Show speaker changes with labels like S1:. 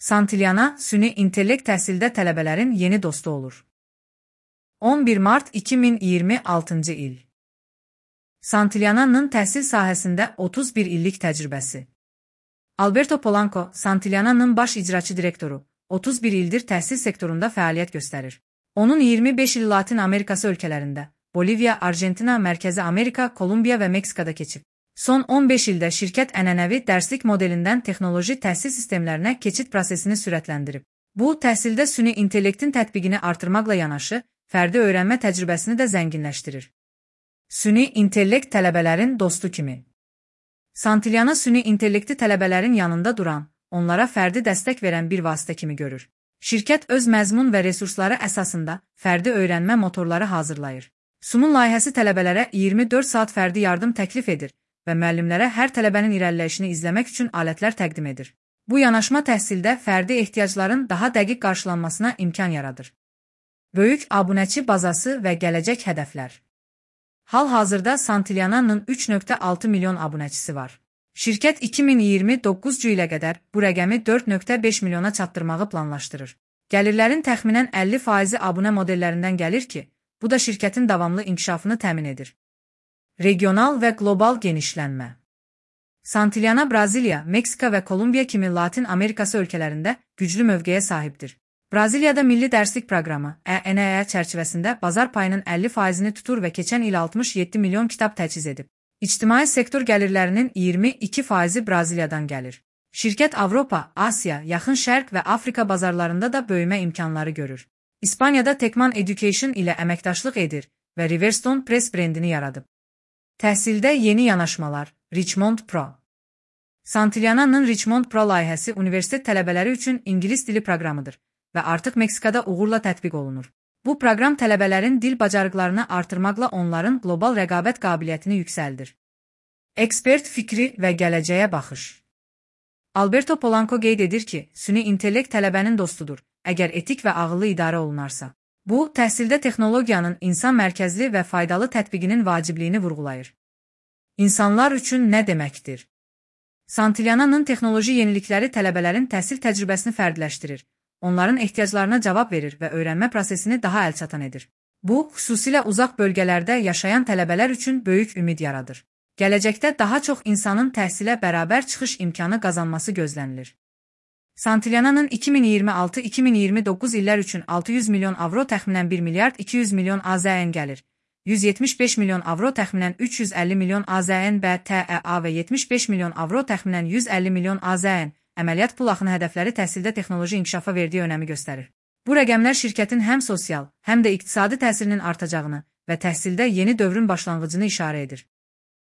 S1: Santillana, süni intellekt təhsildə tələbələrin yeni dostu olur. 11 mart 2026 il. Santillana'nın təhsil sahəsində 31 illik təcrübəsi. Alberto Polanco, Santillana'nın baş icraçı direktoru, 31 ildir təhsil sektorunda fəaliyyət göstərir. Onun 25 il Latin Amerikası ölkələrində, Bolivya, Argentina, Mərkəzi Amerika, Kolumbiya və Meksikada keçib. Son 15 ildə şirkət ənənəvi dərslik modelindən texnoloji təhsil sistemlərinə keçid prosesini sürətləndirib. Bu, təhsildə süni intellektin tətbiqini artırmaqla yanaşı, fərdi öyrənmə təcrübəsini də zənginləşdirir. Süni intellekt tələbələrin dostu kimi. Santillana süni intellekti tələbələrin yanında duran, onlara fərdi dəstək verən bir vasitə kimi görür. Şirkət öz məzmun və resursları əsasında fərdi öyrənmə motorları hazırlayır. Sumun layihəsi tələbələrə 24 saat fərdi yardım təklif edir və müəllimlərə hər tələbənin irəliləyişini izləmək üçün alətlər təqdim edir. Bu yanaşma təhsildə fərdi ehtiyacların daha dəqiq qarşılanmasına imkan yaradır. Böyük abunəçi bazası və gələcək hədəflər. Hal-hazırda Santillana'nın 3,6 milyon abunəçisi var. Şirkət 2029 ilə qədər bu rəqəmi 4,5 milyona çatdırmağı planlaşdırır. Gəlirlərin təxminən 50% abunə modellərindən gəlir ki, bu da şirkətin davamlı inkişafını təmin edir. Regional və qlobal genişlənmə. Santillana Braziliya, Meksika və Kolumbiya kimi Latin Amerikası ölkələrində güclü mövqeyə sahibdir. Braziliyada milli dərslik proqramı (ENEA) çərçivəsində bazar payının 50%-ni tutur və keçən il 67 milyon kitab təchiz edib. İctimai sektor gəlirlərinin 22%-i Braziliyadan gəlir. Şirkət Avropa, Asiya, Yaxın Şərq və Afrika bazarlarında da böyümə imkanları görür. İspaniyada Tekman Education ilə əməkdaşlıq edir və Riverstone Press brendini yaradıb. Təhsildə yeni yanaşmalar, Richmond Pro. Santillana'nın Richmond Pro layihəsi universitet tələbələri üçün ingilis dili proqramıdır və artıq Meksikada uğurla tətbiq olunur. Bu proqram tələbələrin dil bacarıqlarını artırmaqla onların qlobal rəqabət qabiliyyətini yüksəldir. Ekspert fikri və gələcəyə baxış. Alberto Polanco qeyd edir ki, süni intellekt tələbənin dostudur, əgər etik və ağıllı idarə olunarsa. Bu, təhsildə texnologiyanın insan mərkəzli və faydalı tətbiqinin vacibliyini vurğulayır. İnsanlar üçün nə deməkdir? Santillana'nın texnoloji yenilikləri tələbələrin təhsil təcrübəsini fərdləşdirir, onların ehtiyaclarına cavab verir və öyrənmə prosesini daha əlçatan edir. Bu, xüsusilə uzaq bölgələrdə yaşayan tələbələr üçün böyük ümid yaradır. Gələcəkdə daha çox insanın təhsilə bərabər çıxış imkanı qazanması gözlənilir. Santillana'nın 2026-2029 illər üçün 600 milyon avro təxminən 1 milyard 200 milyon AZN gəlir, 175 milyon avro təxminən 350 milyon AZN BTEA və 75 milyon avro təxminən 150 milyon AZN əməliyyat pul axını hədəfləri təhsildə texnoloji inkişafa verdiyi önəmi göstərir. Bu rəqəmlər şirkətin həm sosial, həm də iqtisadi təsirinin artacağını və təhsildə yeni dövrün başlanğıcını işarə edir.